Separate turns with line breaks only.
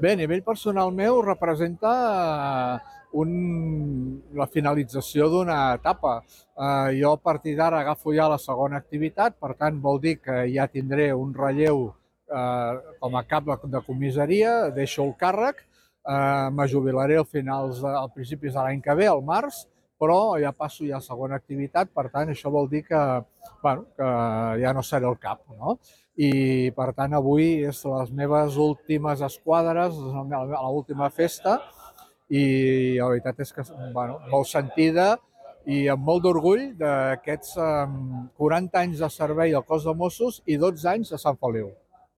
Bé, a nivell personal meu representa la finalització d'una etapa. Jo a partir d'ara agafo ja la segona activitat, per tant vol dir que ja tindré un relleu com a cap de comissaria, deixo el càrrec, me jubilaré a principis de l'any que ve, al març, però ja passo ja a segona activitat, per tant això vol dir que, bueno, que ja no seré el cap, no? I per tant avui és les meves últimes esquadres, l'última festa i la veritat és que, bueno, molt sentida i amb molt d'orgull d'aquests 40 anys de servei al cos de Mossos i 12 anys a Sant Feliu.